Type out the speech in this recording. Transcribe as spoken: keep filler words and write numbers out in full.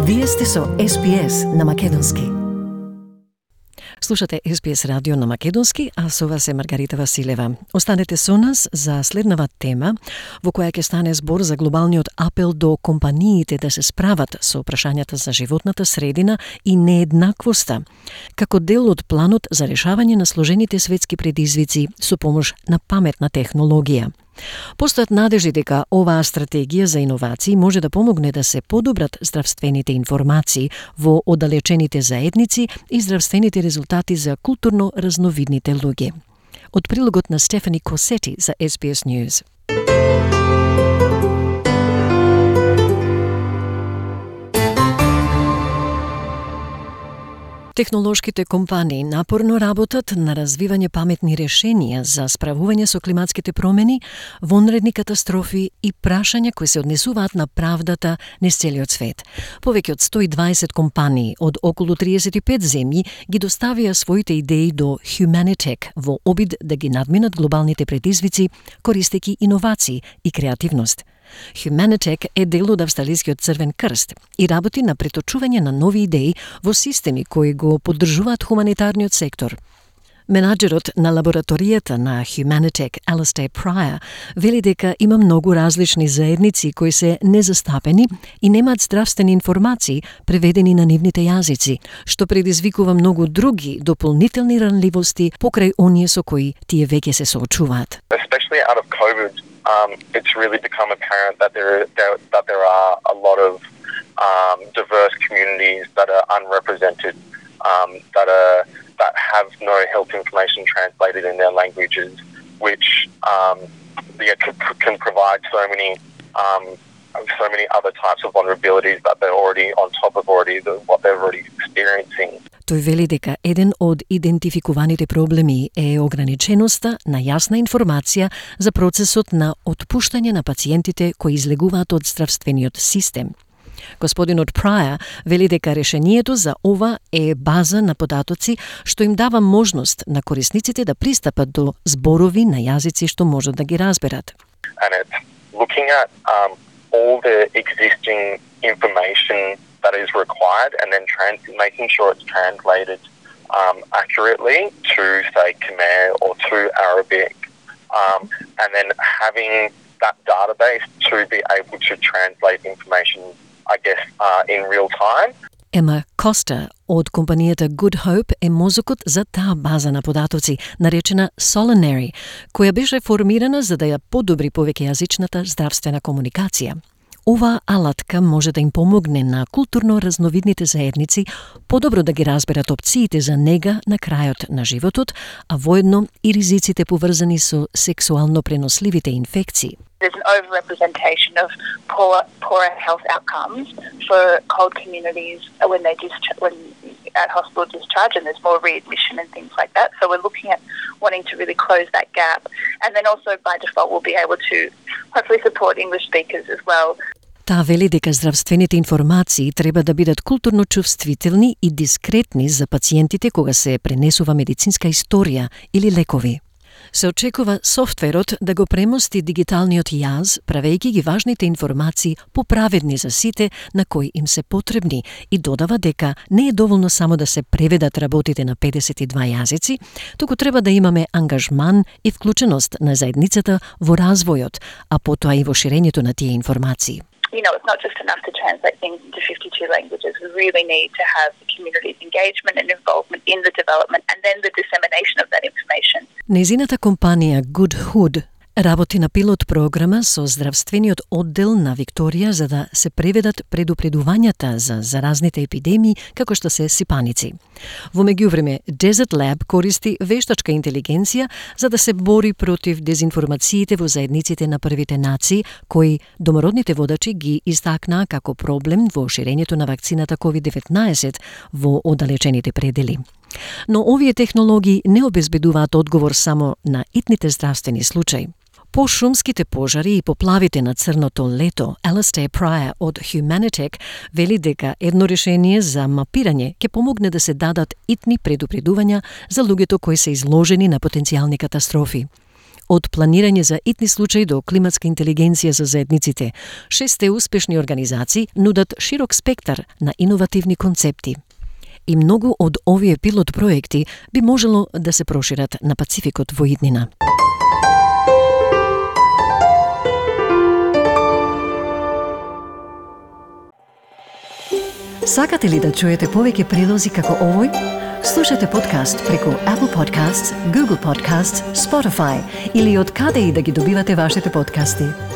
Вие сте со Ес Би Ес на Македонски. Слушате Ес Би Ес радио на Македонски, а со вас е Маргарита Василева. Останете со нас за следнава тема, во која ќе стане збор за глобалниот апел до компаниите да се справат со прашањата за животната средина и нееднаквоста, како дел од планот за решавање на сложените светски предизвици со помош на паметна технологија. Постојат надежди дека оваа стратегија за иновации може да помогне да се подобрат здравствените информации во оддалечените заедници и здравствените резултати за културно разновидните луѓе. Од прилогот на Стефани Косети за Ес Би Ес News. Технолошките компании напорно работат на развивање паметни решенија за справување со климатските промени, вонредни катастрофи и прашања кои се однесуваат на правдата низ целиот свет. Повеќе од сто и дваесет компании од околу триесет и пет земји ги доставија своите идеи до Humanitech во обид да ги надминат глобалните предизвици, користејќи иновации и креативност. Humanitech е дел од Австралискиот Црвен крст и работи на преточување на нови идеи во системи кои го поддржуваат хуманитарниот сектор. Менаџерот на лабораторијата на Humanitech, Alastair Pryor, вели дека има многу различни заедници кои се незастапени и немаат здравствени информации преведени на нивните јазици, што предизвикува многу други дополнителни ранливости покрај оние со кои тие веќе се соочуваат. Especially out of COVID, um, it's really become apparent that there, there that there are a lot of um, diverse communities that are unrepresented, um, that are that have no health information translated in their languages, which um, yeah, can, can provide so many um, so many other types of vulnerabilities that they're already on top of already the, what they're already experiencing. Тој вели дека еден од идентификуваните проблеми е ограниченоста на јасна информација за процесот на отпуштање на пациентите кои излегуваат од здравствениот систем. Господинот Прая вели дека решението за ова е база на податоци што им дава можност на корисниците да пристапат до зборови на јазици што можат да ги разберат. And it's looking at um, all the existing information that is required and then trans- making sure it's translated um, accurately to, say, Khmer or to Arabic, um, and then having that database to be able to translate information, I guess, uh, in real time. Ема Коста од компанијата Good Hope е мозокот за таа база на податоци, наречена Solinary, која беше формирана за да ја подобри повеќејазичната здравствена комуникација. Оваа алатка може да им помогне на културно разновидните заедници подобро да ги разберат опциите за нега на крајот на животот, а воедно и ризиците поврзани со сексуално преносливите инфекции. There's an overrepresentation of poor, poorer health outcomes for cold communities when they discharge, when at hospital discharge, and there's more readmission and things like that. So we're looking at wanting to really close that gap, and then also by default we'll be able to hopefully support English speakers as well. Таа вели дека здравствените информации треба да бидат културно чувствителни и дискретни за пациентите кога се пренесува медицинска историја или лекови. Се очекува софтверот да го премости дигиталниот јаз, правејќи ги важните информации поправедни за сите на кои им се потребни, и додава дека не е доволно само да се преведат работите на педесет и два јазици, туку треба да имаме ангажман и вклученост на заедницата во развојот, а потоа и во ширењето на тие информации. You know, it's not just enough to translate things into fifty-two languages. We really need to have the community's engagement and involvement in the development and then the dissemination of that information. Незината компанија Good Hood работи на пилот програма со здравствениот оддел на Викторија за да се преведат предупредувањата за заразните епидемии како што се сипаници. Во меѓувреме, Desert Lab користи вештачка интелигенција за да се бори против дезинформациите во заедниците на првите нации, кои домородните водачи ги истакнаа како проблем во ширењето на вакцината ковид деветнаесет во оддалечените предели. Но овие технологии не обезбедуваат одговор само на итните здравствени случаи. По шумските пожари и поплавите на Црното лето, Alastair Pryor од Humanitech вели дека едно решение за мапирање ќе помогне да се дадат итни предупредувања за луѓето кои се изложени на потенцијални катастрофи. од планирање за итни случаи до климатска интелигенција за заедниците. Шесте успешни организации нудат широк спектар на иновативни концепти. И многу од овие пилот проекти би можело да се прошират на Пацификот во иднина. Сакате ли да чуете повеќе прилози како овој? Слушате подкаст преку Apple Podcasts, Google Podcasts, Spotify или од каде и да ги добивате вашите подкасти.